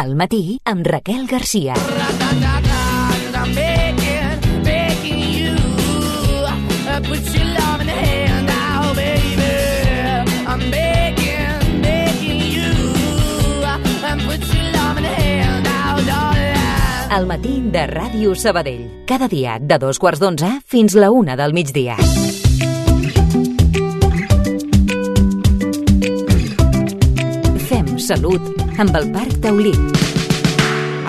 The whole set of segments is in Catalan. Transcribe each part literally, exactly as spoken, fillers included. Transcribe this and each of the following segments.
Al matí amb Raquel Garcia. I'm begging, begging you, put your love in the hand now, baby. I'm begging, begging you, put your love in the hand now, darling. Al matí de Ràdio Sabadell. Cada dia de dos quarts d'onze fins la una del migdia. Fem salut amb el Parc Taulí.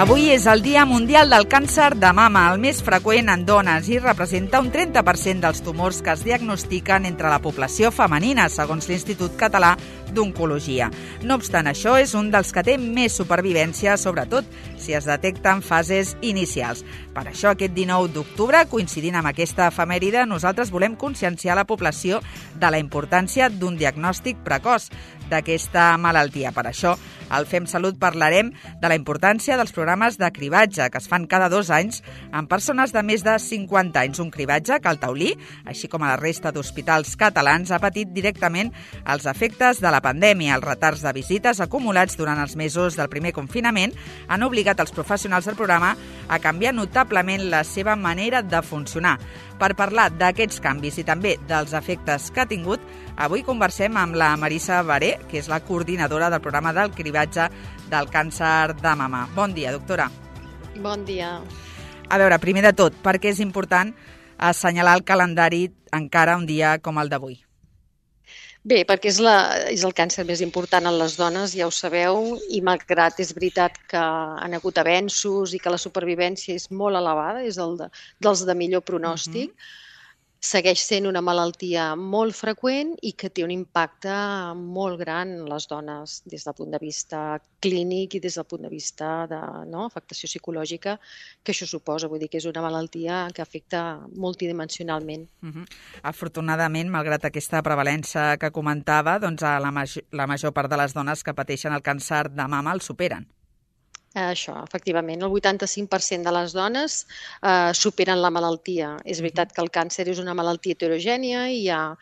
Avui és el Dia Mundial del Càncer de Mama, el més freqüent en dones, i representa un trenta per cent dels tumors que es diagnostiquen entre la població femenina, segons l'Institut Català d'Oncologia. No obstant això, és un dels que té més supervivència, sobretot si es detecta en fases inicials. Per això, aquest dinou d'octubre, coincidint amb aquesta efemèride, nosaltres volem conscienciar la població de la importància d'un diagnòstic precoç d'aquesta malaltia. Per això, al Fem Salut parlarem de la importància dels programes de cribatge que es fan cada dos anys amb persones de més de cinquanta anys. Un cribatge que el Taulí, així com a la resta d'hospitals catalans, ha patit directament els efectes de la pandèmia. Els retards de visites acumulats durant els mesos del primer confinament han obligat els professionals del programa a canviar notablement la seva manera de funcionar. Per parlar d'aquests canvis i també dels efectes que ha tingut, avui conversem amb la Marisa Baré, que és la coordinadora del programa del cribatge del càncer de mama. Bon dia, doctora. Bon dia. A veure, primer de tot, per què és important assenyalar el calendari encara un dia com el d'avui? Bé, perquè és, la, és el càncer més important en les dones, ja ho sabeu, i malgrat és veritat que han hagut avenços i que la supervivència és molt elevada, és el de, dels de millor pronòstic, uh-huh. Segueix sent una malaltia molt freqüent i que té un impacte molt gran en les dones des del punt de vista clínic i des del punt de vista de no, afectació psicològica que això suposa. Vull dir que és una malaltia que afecta multidimensionalment. Uh-huh. Afortunadament, malgrat aquesta prevalença que comentava, doncs la, major, la major part de les dones que pateixen el càncer de mama el superen. Això, efectivament, el vuitanta-cinc per cent de les dones eh, superen la malaltia. És veritat que el càncer és una malaltia heterogènia i hi ha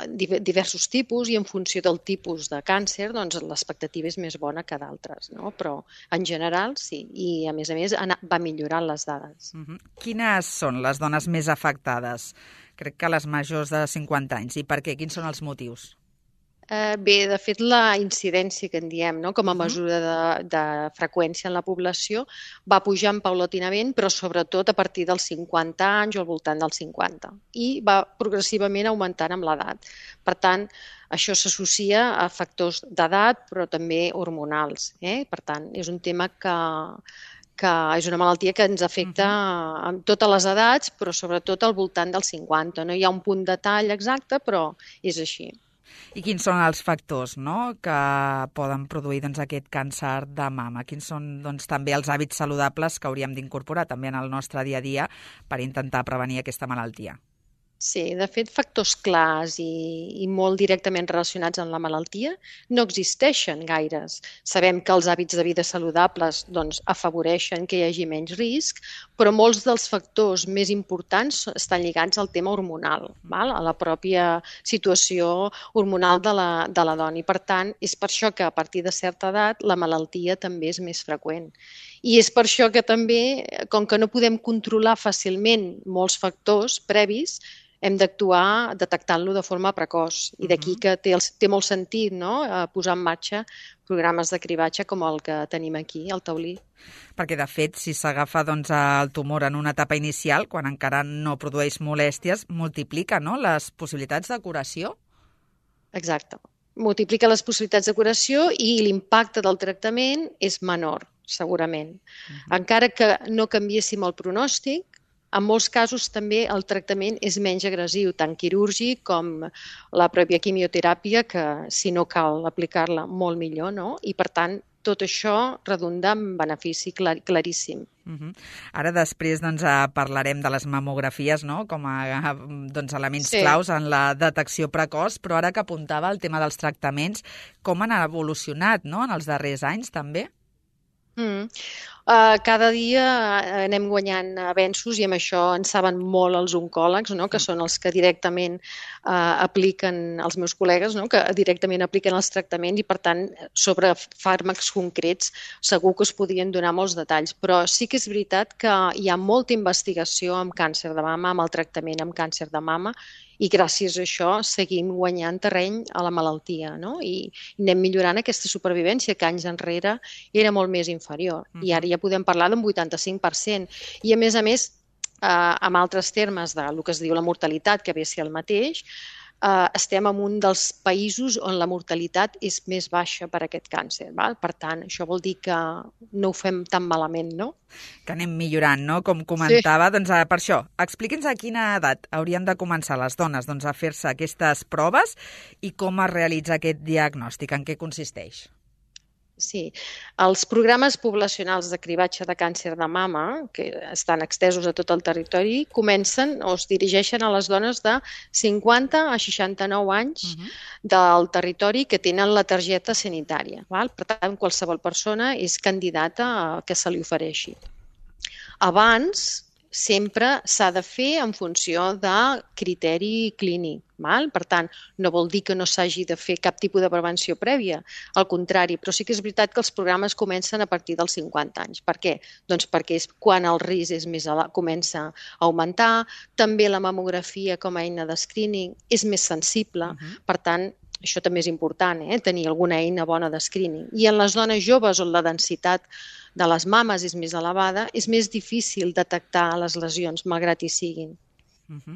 diversos tipus i en funció del tipus de càncer doncs, l'expectativa és més bona que d'altres, no? Però en general sí, i a més a més va millorant les dades. Uh-huh. Quines són les dones més afectades? Crec que les majors de cinquanta anys. I per què? Quins són els motius? Eh, bé, de fet, la incidència que en diem, no? Com a mesura de, de freqüència en la població, va pujant paulatinament, però sobretot a partir dels cinquanta anys o al voltant dels cinquanta. I va progressivament augmentant amb l'edat. Per tant, això s'associa a factors d'edat, però també hormonals. Eh? Per tant, és un tema que... que és una malaltia que ens afecta en totes les edats, però sobretot al voltant dels cinquanta. No hi ha un punt de tall exacte, però és així. I quins són els factors, no?, que poden produir doncs, aquest càncer de mama? Quins són doncs, també els hàbits saludables que hauríem d'incorporar també en el nostre dia a dia per intentar prevenir aquesta malaltia? Sí, de fet, factors clars i, i molt directament relacionats amb la malaltia no existeixen gaires. Sabem que els hàbits de vida saludables doncs, afavoreixen que hi hagi menys risc, però molts dels factors més importants estan lligats al tema hormonal, val? A la pròpia situació hormonal de la, de la dona. I, per tant, és per això que a partir de certa edat la malaltia també és més freqüent. I és per això que també, com que no podem controlar fàcilment molts factors previs, hem d'actuar detectant-lo de forma precoç. I d'aquí que té, el, té molt sentit no? Posar en marxa programes de cribatge com el que tenim aquí, al Taulí. Perquè, de fet, si s'agafa doncs, el tumor en una etapa inicial, quan encara no produeix molèsties, multiplica no? Les possibilitats de curació? Exacte. Multiplica les possibilitats de curació i l'impacte del tractament és menor, segurament. Uh-huh. Encara que no canviéssim el pronòstic, en molts casos també el tractament és menys agressiu, tant quirúrgic com la pròpia quimioteràpia, que si no cal aplicar-la molt millor, no? I per tant tot això redunda en benefici clar, claríssim. Uh-huh. Ara després doncs, parlarem de les mamografies no? Com a doncs, elements sí. claus en la detecció precoç, però ara que apuntava el tema dels tractaments, com han evolucionat no? En els darrers anys també? Mm. Uh, cada dia anem guanyant avenços i amb això en saben molt els oncòlegs, no? Que són els que directament uh, apliquen, els meus col·legues, no? Que directament apliquen els tractaments i per tant sobre fàrmacs concrets segur que us podien donar molts detalls, però sí que és veritat que hi ha molta investigació amb càncer de mama, amb el tractament amb càncer de mama, i gràcies a això seguim guanyant terreny a la malaltia, no? I anem millorant aquesta supervivència que anys enrere era molt més inferior. I ara ja podem parlar d'un vuitanta-cinc per cent. I a més a més, eh, amb altres termes del que es diu la mortalitat, que ve a ser el mateix, eh, estem en un dels països on la mortalitat és més baixa per aquest càncer. Val? Per tant, això vol dir que no ho fem tan malament, no? Que anem millorant, no? Com comentava, sí. Doncs per això, expliqui'ns a quina edat haurien de començar les dones doncs, a fer-se aquestes proves i com es realitza aquest diagnòstic, en què consisteix? Sí, els programes poblacionals de cribatge de càncer de mama, que estan extesos a tot el territori, comencen o es dirigeixen a les dones de cinquanta a seixanta-nou anys uh-huh. del territori que tenen la targeta sanitària. Val? Per tant, qualsevol persona és candidata a que se li ofereixi. Abans, sempre s'ha de fer en funció de criteri clínic. Val? Per tant, no vol dir que no s'hagi de fer cap tipus de prevenció prèvia, al contrari, però sí que és veritat que els programes comencen a partir dels cinquanta anys. Per què? Doncs perquè és quan el risc és més elevat, comença a augmentar, també la mamografia com a eina de screening és més sensible, uh-huh. per tant, això també és important, eh? Tenir alguna eina bona de screening. I en les dones joves on la densitat de les mames és més elevada, és més difícil detectar les lesions, malgrat hi siguin. Uh-huh.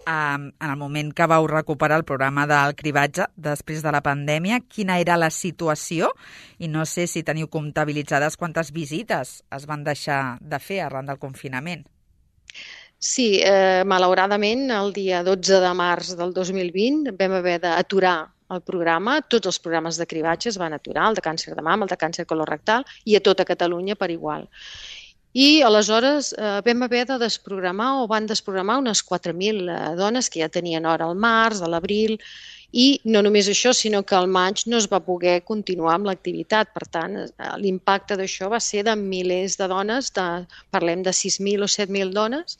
Um, en el moment que vau recuperar el programa del cribatge després de la pandèmia, quina era la situació? I no sé si teniu comptabilitzades quantes visites es van deixar de fer arran del confinament. Sí, eh, malauradament el dia dotze de març del dos mil vint vam haver d'aturar el programa, tots els programes de cribatge es van aturar, el de càncer de mama, el de càncer colorectal i a tota Catalunya per igual. I aleshores eh, vam haver de desprogramar o van desprogramar unes quatre mil eh, dones que ja tenien hora al març, a l'abril, i no només això, sinó que al maig no es va poder continuar amb l'activitat. Per tant, eh, l'impacte d'això va ser de milers de dones, de, parlem de sis mil o set mil dones,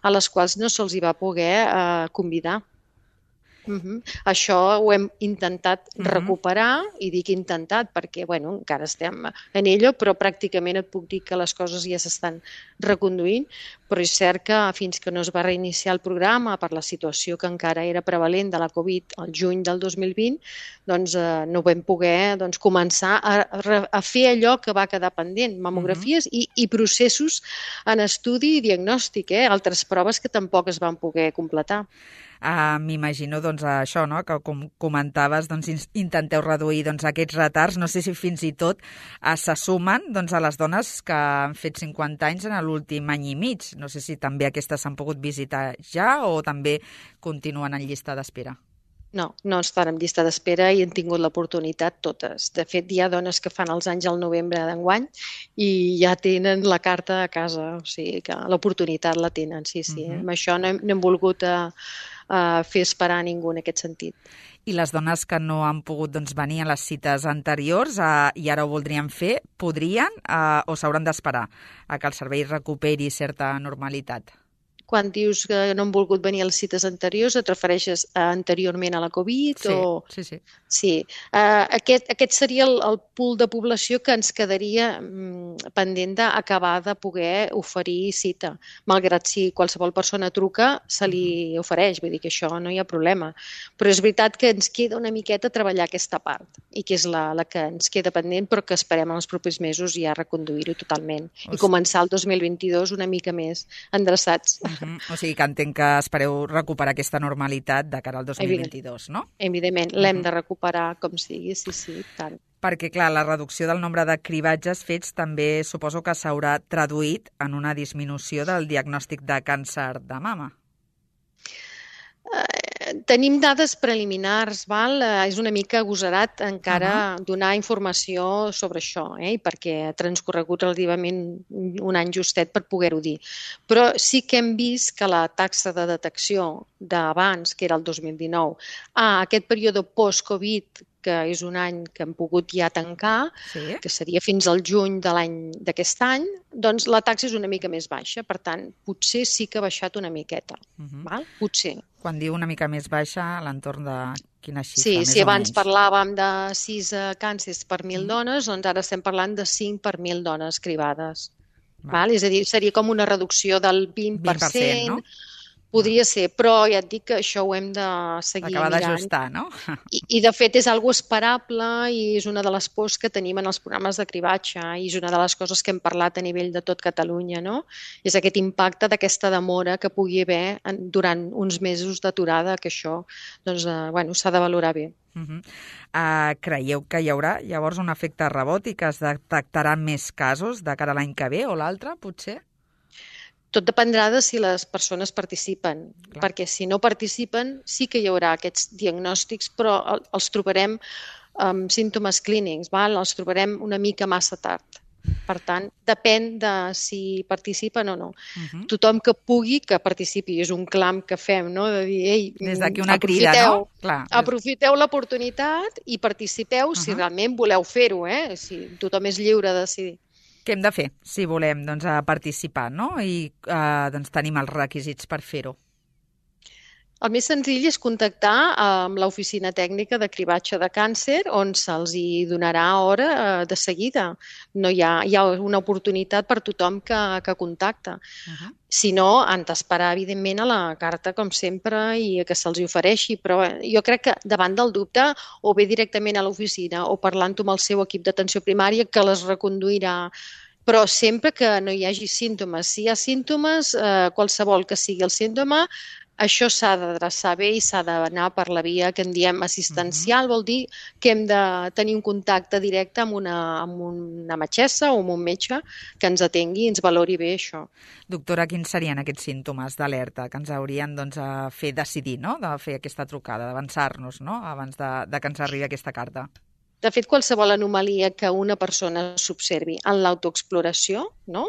a les quals no se'ls hi va poder eh, convidar. Uh-huh. Això ho hem intentat uh-huh. recuperar, i dic intentat perquè bueno, encara estem en ello, però pràcticament et puc dir que les coses ja s'estan reconduint, però és cert que fins que no es va reiniciar el programa per la situació que encara era prevalent de la Covid al juny del dos mil vint, doncs eh, no vam poder doncs, començar a, a fer allò que va quedar pendent, mamografies uh-huh. i, i processos en estudi i diagnòstic, eh? Altres proves que tampoc es van poder completar. Uh, M'imagino doncs, això, no? Que com comentaves, doncs, intenteu reduir doncs, aquests retards. No sé si fins i tot uh, se sumen doncs, a les dones que han fet cinquanta anys en l'últim any i mig. No sé si també aquestes s'han pogut visitar ja o també continuen en llista d'espera. No, no estan en llista d'espera i han tingut l'oportunitat totes. De fet, hi ha dones que fan els anys al novembre d'enguany i ja tenen la carta a casa, o sigui que l'oportunitat la tenen, sí, sí. Uh-huh. Amb això no hem, no hem volgut a, a fer esperar a ningú en aquest sentit. I les dones que no han pogut doncs, venir a les cites anteriors eh, i ara ho voldrien fer, podrien eh, o s'hauran d'esperar a que el servei recuperi certa normalitat? Quan dius que no han volgut venir a les cites anteriors, et refereixes a anteriorment a la Covid? Sí, o... sí, sí. Sí. Uh, aquest, aquest seria el, el pool de població que ens quedaria um, pendent d'acabar de poder oferir cita. Malgrat si qualsevol persona truca, se li ofereix, vull dir que això no hi ha problema. Però és veritat que ens queda una miqueta treballar aquesta part, i que és la, la que ens queda pendent, però que esperem en els propers mesos ja reconduir-ho totalment. O I començar el dos mil vint-i-dos una mica més endreçats. Uh-huh. O sigui que entenc que espereu recuperar aquesta normalitat de cara al dos mil vint-i-dos, no? Evidentment, l'hem uh-huh. de recuperar com sigui, sí, sí, tant. Perquè, clar, la reducció del nombre de cribatges fets també suposo que s'haurà traduït en una disminució del diagnòstic de càncer de mama. Eh, tenim dades preliminars, val? Eh, és una mica agosarat encara uh-huh. donar informació sobre això, eh? Perquè ha transcorregut relativament un any justet per poder-ho dir. Però sí que hem vist que la taxa de detecció d'abans, que era el dos mil dinou, a aquest període post-Covid, que és un any que hem pogut ja tancar, Sí. que seria fins al juny de l'any d'aquest any, doncs la taxa és una mica més baixa. Per tant, potser sí que ha baixat una miqueta. Mhm. Val? Potser. Quan diu una mica més baixa, a l'entorn de quina xifra, Sí, més si o abans menys? parlàvem de sis eh, càncers per mil Mhm. dones, doncs ara estem parlant de cinc per mil dones cribades. Val. Val? És a dir, seria com una reducció del vint per cent, vint per cent, no? podria ser, però ja et dic que això ho hem de seguir Acabar mirant. d'ajustar, no? I, I, de fet, és algo esperable i és una de les pors que tenim en els programes de cribatge i és una de les coses que hem parlat a nivell de tot Catalunya, no? És aquest impacte d'aquesta demora que pugui haver en, durant uns mesos d'aturada, que això doncs, eh, bueno, s'ha de valorar bé. Uh -huh. uh, creieu que hi haurà llavors un efecte rebot i que es detectaran més casos de cara a l'any que ve o l'altre, potser? Tot dependrà de si les persones participen, Clar. perquè si no participen sí que hi haurà aquests diagnòstics, però el- els trobarem amb símptomes clínics, val? Els trobarem una mica massa tard. Per tant, depèn de si participen o no. Uh -huh. Tothom que pugui que participi, és un clam que fem, no? De dir, ei, Des d'aquí una crida, no? Clar. aprofiteu l'oportunitat i participeu uh -huh. si realment voleu fer-ho, eh? Si tothom és lliure de decidir. Què hem de fer si volem doncs, a participar, no? I eh, doncs, tenim els requisits per fer-ho. El més senzill és contactar amb l'oficina tècnica de cribatge de càncer, on se'ls hi donarà hora eh, de seguida. No hi ha, hi ha una oportunitat per tothom que, que contacta. Uh -huh. Si no, han d'esperar, evidentment, a la carta, com sempre, i a que se'ls hi ofereixi. Però jo crec que davant del dubte, o bé directament a l'oficina o parlant-ho amb el seu equip d'atenció primària, que les reconduirà. Però sempre que no hi hagi símptomes. Si hi ha símptomes, eh, qualsevol que sigui el símptoma, això s'ha d'adreçar bé i s'ha d'anar per la via que en diem assistencial. Uh-huh. Vol dir que hem de tenir un contacte directe amb una, amb una metgessa o amb un metge que ens atengui i ens valori bé això. Doctora, quins serien aquests símptomes d'alerta que ens haurien doncs, a fer decidir, no?, de fer aquesta trucada, d'avançar-nos, no?, abans de, de que ens arribi aquesta carta? De fet, qualsevol anomalia que una persona s'observi en l'autoexploració, no?,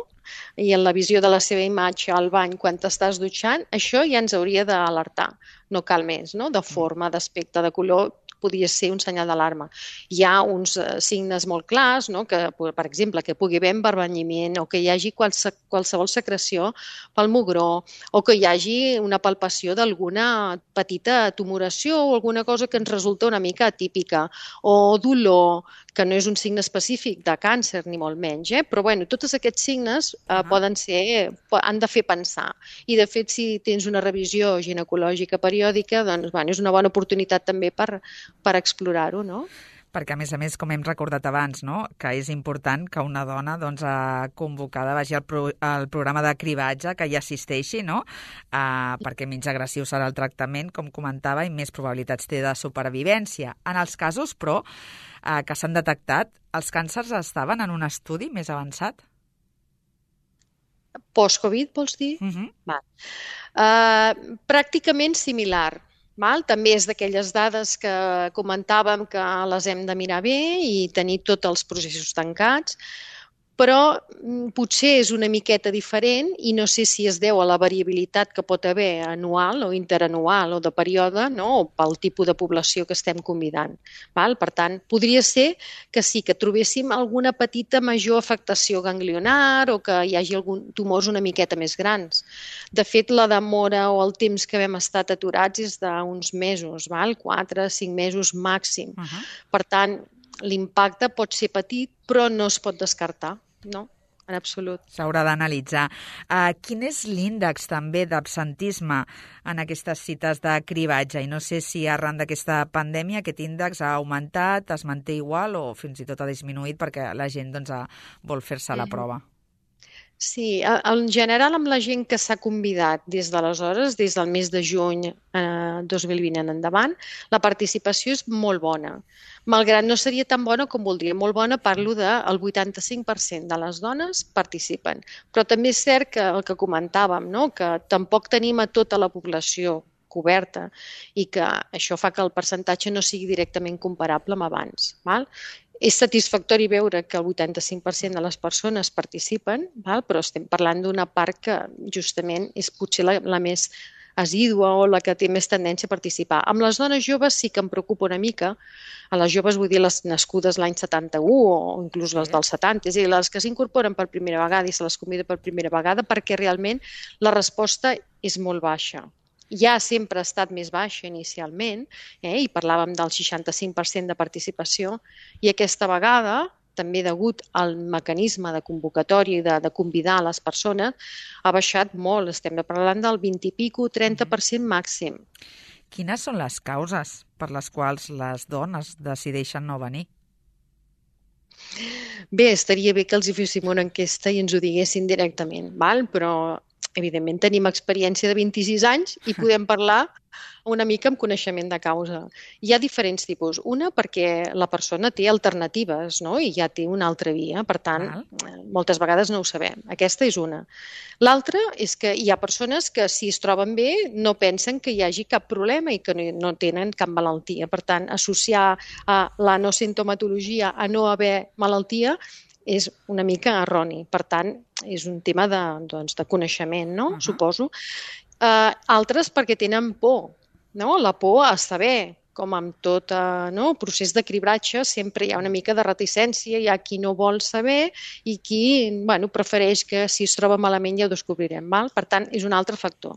i en la visió de la seva imatge al bany quan t'estàs dutxant, això ja ens hauria d'alertar. No cal més, no?, de forma, d'aspecte, de color, podria ser un senyal d'alarma. Hi ha uns eh, signes molt clars, no?, que, per exemple, que pugui haver embarbenyiment o que hi hagi qualse, qualsevol secreció pel mugró o que hi hagi una palpació d'alguna petita tumoració o alguna cosa que ens resulta una mica atípica, o dolor, que no és un signe específic de càncer, ni molt menys, eh? Però bueno, tots aquests signes eh, uh-huh. poden ser, han de fer pensar. I de fet, si tens una revisió ginecològica periòdica, doncs bueno, és una bona oportunitat també per, per explorar-ho, no? Perquè, a més a més, com hem recordat abans, no?, que és important que una dona doncs, convocada vagi al, pro al programa de cribatge, que hi assisteixi, no?, uh, perquè menys agressiu serà el tractament, com comentava, i més probabilitats té de supervivència. En els casos, però, uh, que s'han detectat, els càncers estaven en un estudi més avançat? Post-Covid, vols dir? Uh-huh. Va. Uh, pràcticament similar. Val? També és d'aquelles dades que comentàvem que les hem de mirar bé i tenir tots els processos tancats, però potser és una miqueta diferent i no sé si es deu a la variabilitat que pot haver anual o interanual o de període, no?, o pel tipus de població que estem convidant. Val? Per tant, podria ser que sí, que trobéssim alguna petita major afectació ganglionar o que hi hagi algun tumors una miqueta més grans. De fet, la demora o el temps que hem estat aturats és d'uns mesos, val? quatre, cinc mesos màxim. Uh-huh. Per tant, l'impacte pot ser petit, però no es pot descartar, no? En absolut. S'haurà d'analitzar. Uh, quin és l'índex també d'absentisme en aquestes cites de cribatge? I no sé si arran d'aquesta pandèmia aquest índex ha augmentat, es manté igual o fins i tot ha disminuït perquè la gent doncs, vol fer-se la prova. Sí, en general amb la gent que s'ha convidat des d'aleshores, des del mes de juny eh, dos mil vint en endavant, la participació és molt bona. Malgrat no seria tan bona com voldria. Molt bona, parlo del vuitanta-cinc per cent de les dones participen. Però també és cert que el que comentàvem, no?, que tampoc tenim a tota la població coberta i que això fa que el percentatge no sigui directament comparable amb abans. Val? És satisfactori veure que el vuitanta-cinc per cent de les persones participen, val? Però estem parlant d'una part que justament és potser la, la més assídua o la que té més tendència a participar. Amb les dones joves sí que em preocupa una mica. A les joves vull dir les nascudes l'any setanta-u o inclús les dels setanta, és a dir, les que s'incorporen per primera vegada i se les convida per primera vegada perquè realment la resposta és molt baixa. Ja sempre ha estat més baixa inicialment, eh, i parlàvem del seixanta-cinc per cent de participació, i aquesta vegada, també degut al mecanisme de convocatòria i de, de convidar a les persones, ha baixat molt. Estem parlant del vint i pico, trenta per cent màxim. Quines són les causes per les quals les dones decideixen no venir? Bé, estaria bé que els hi féssim una enquesta i ens ho diguessin directament, val? Però evidentment tenim experiència de vint-i-sis anys i podem parlar una mica amb coneixement de causa. Hi ha diferents tipus. Una, perquè la persona té alternatives, no? I ja té una altra via, per tant, Val. moltes vegades no ho sabem. Aquesta és una. L'altra és que hi ha persones que, si es troben bé, no pensen que hi hagi cap problema i que no tenen cap malaltia. Per tant, associar a la no sintomatologia a no haver malaltia és una mica erroni. Per tant, és un tema de, doncs, de coneixement, no? Uh -huh. Suposo. Uh, altres perquè tenen por, no? La por a saber, com amb tot uh, no? procés de cribratge, sempre hi ha una mica de reticència, hi ha qui no vol saber i qui bueno, prefereix que si es troba malament ja ho descobrirem. Val? Per tant, és un altre factor.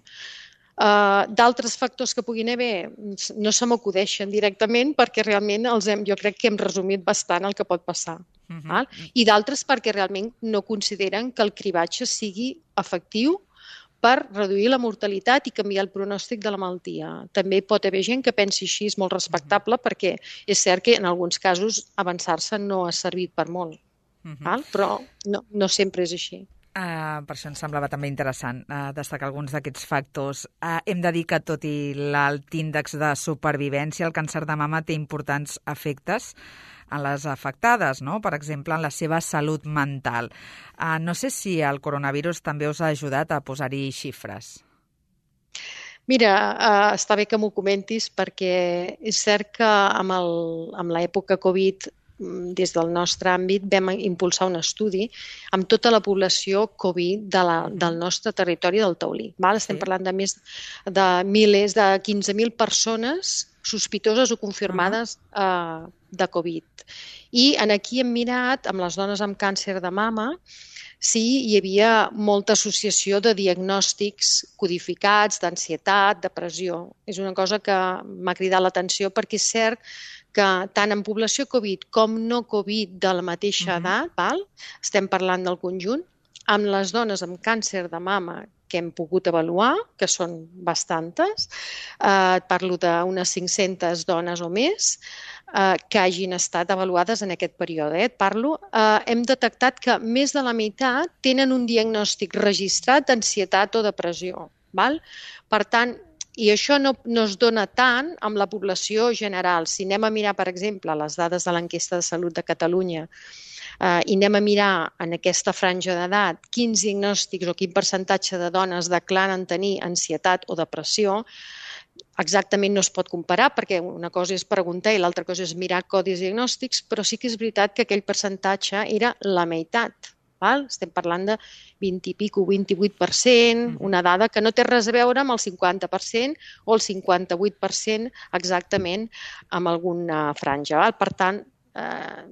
Uh, d'altres factors que puguin haver no se m'acudeixen directament perquè realment els hem, jo crec que hem resumit bastant el que pot passar. Uh-huh. Val? I d'altres perquè realment no consideren que el cribatge sigui efectiu per reduir la mortalitat i canviar el pronòstic de la malaltia. També pot haver gent que pensi així, és molt respectable, uh-huh. perquè és cert que en alguns casos avançar-se no ha servit per molt, uh-huh. val? Però no, no sempre és així. Uh, per això ens semblava també interessant uh, destacar alguns d'aquests factors. Uh, hem de dir que, tot i l'alt índex de supervivència, el càncer de mama té importants efectes en les afectades, no? Per exemple, en la seva salut mental. Uh, no sé si el coronavirus també us ha ajudat a posar-hi xifres. Mira, uh, està bé que m'ho comentis perquè és cert que amb, el, amb l'època Covid des del nostre àmbit vam impulsar un estudi amb tota la població Covid de la, del nostre territori del Taulí. Val? Estem sí. parlant de més de milers, de quinze mil persones sospitoses o confirmades uh-huh. uh, de Covid. I en aquí hem mirat, amb les dones amb càncer de mama, si hi havia molta associació de diagnòstics codificats, d'ansietat, depressió. És una cosa que m'ha cridat l'atenció perquè és cert que tant en població Covid com no Covid de la mateixa uh-huh. edat, val? Estem parlant del conjunt, amb les dones amb càncer de mama que hem pogut avaluar, que són bastantes, eh, parlo d'unes cinc-centes dones o més, eh, que hagin estat avaluades en aquest període. Eh? Parlo, eh, hem detectat que més de la meitat tenen un diagnòstic registrat d'ansietat o depressió. Val? Per tant, i això no, no es dona tant amb la població general. Si anem a mirar, per exemple, les dades de l'enquesta de salut de Catalunya eh, i anem a mirar en aquesta franja d'edat quins diagnòstics o quin percentatge de dones declaren tenir ansietat o depressió, exactament no es pot comparar perquè una cosa és preguntar i l'altra cosa és mirar codis diagnòstics, però sí que és veritat que aquell percentatge era la meitat. Val? Estem parlant de vint i pico, vint-i-vuit per cent, una dada que no té res a veure amb el cinquanta per cent o el cinquanta-vuit per cent exactament amb alguna franja. Val? Per tant, eh,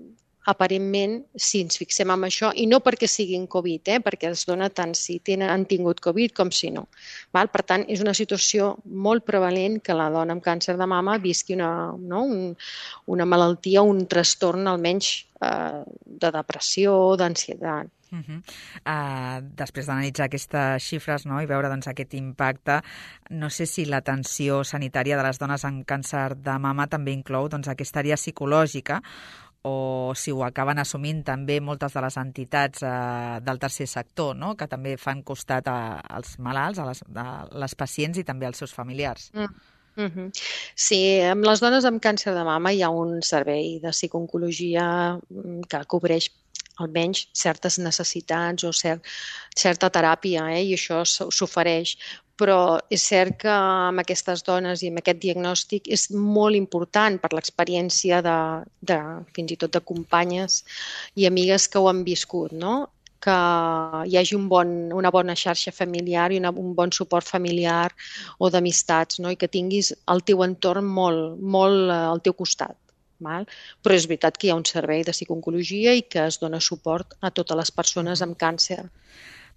aparentment, si ens fixem en això, i no perquè siguin Covid, eh, perquè es dona tant si tenen, han tingut Covid com si no. Val? Per tant, és una situació molt prevalent que la dona amb càncer de mama visqui una, no, un, una malaltia, un trastorn almenys eh, de depressió, d'ansietat. Uh -huh. uh, després d'analitzar aquestes xifres, no, i veure doncs, aquest impacte, no sé si l'atenció sanitària de les dones amb càncer de mama també inclou doncs, aquesta àrea psicològica o si ho acaben assumint també moltes de les entitats eh, del tercer sector, no? Que també fan costat a, als malalts, a les, a les pacients i també als seus familiars. Mm. Uh-huh. Sí, amb les dones amb càncer de mama hi ha un servei de psicooncologia que cobreix almenys certes necessitats o cert, certa teràpia, eh? I això s'ofereix. Però és cert que amb aquestes dones i amb aquest diagnòstic és molt important per l'experiència de, de, fins i tot de companyes i amigues que ho han viscut, no? que hi hagi un bon, una bona xarxa familiar i una, un bon suport familiar o d'amistats, no? I que tinguis el teu entorn molt, molt al teu costat. Val? Però és veritat que hi ha un servei de psicooncologia i que es dona suport a totes les persones amb càncer.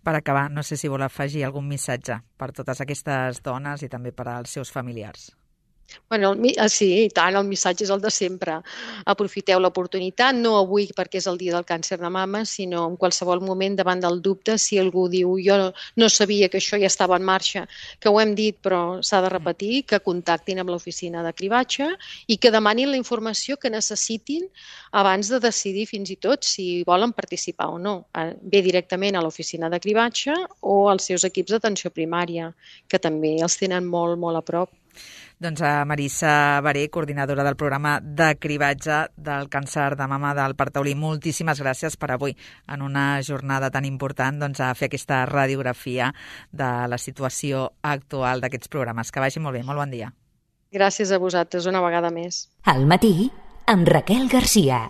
Per acabar, no sé si vol afegir algun missatge per totes aquestes dones i també per als seus familiars. Bueno, el, sí, i tant, el missatge és el de sempre. Aprofiteu l'oportunitat, no avui perquè és el dia del càncer de mama, sinó en qualsevol moment davant del dubte, si algú diu jo no sabia que això ja estava en marxa, que ho hem dit però s'ha de repetir, que contactin amb l'oficina de cribatge i que demanin la informació que necessitin abans de decidir fins i tot si volen participar o no. Ve directament a l'oficina de cribatge o als seus equips d'atenció primària, que també els tenen molt, molt a prop. Doncs a Marissa Baré, coordinadora del programa de cribatge del càncer de mama del Partaulí, moltíssimes gràcies per avui, en una jornada tan important, doncs, a fer aquesta radiografia de la situació actual d'aquests programes. Que vagi molt bé, molt bon dia. Gràcies a vosaltres, una vegada més. Al matí, amb Raquel Garcia.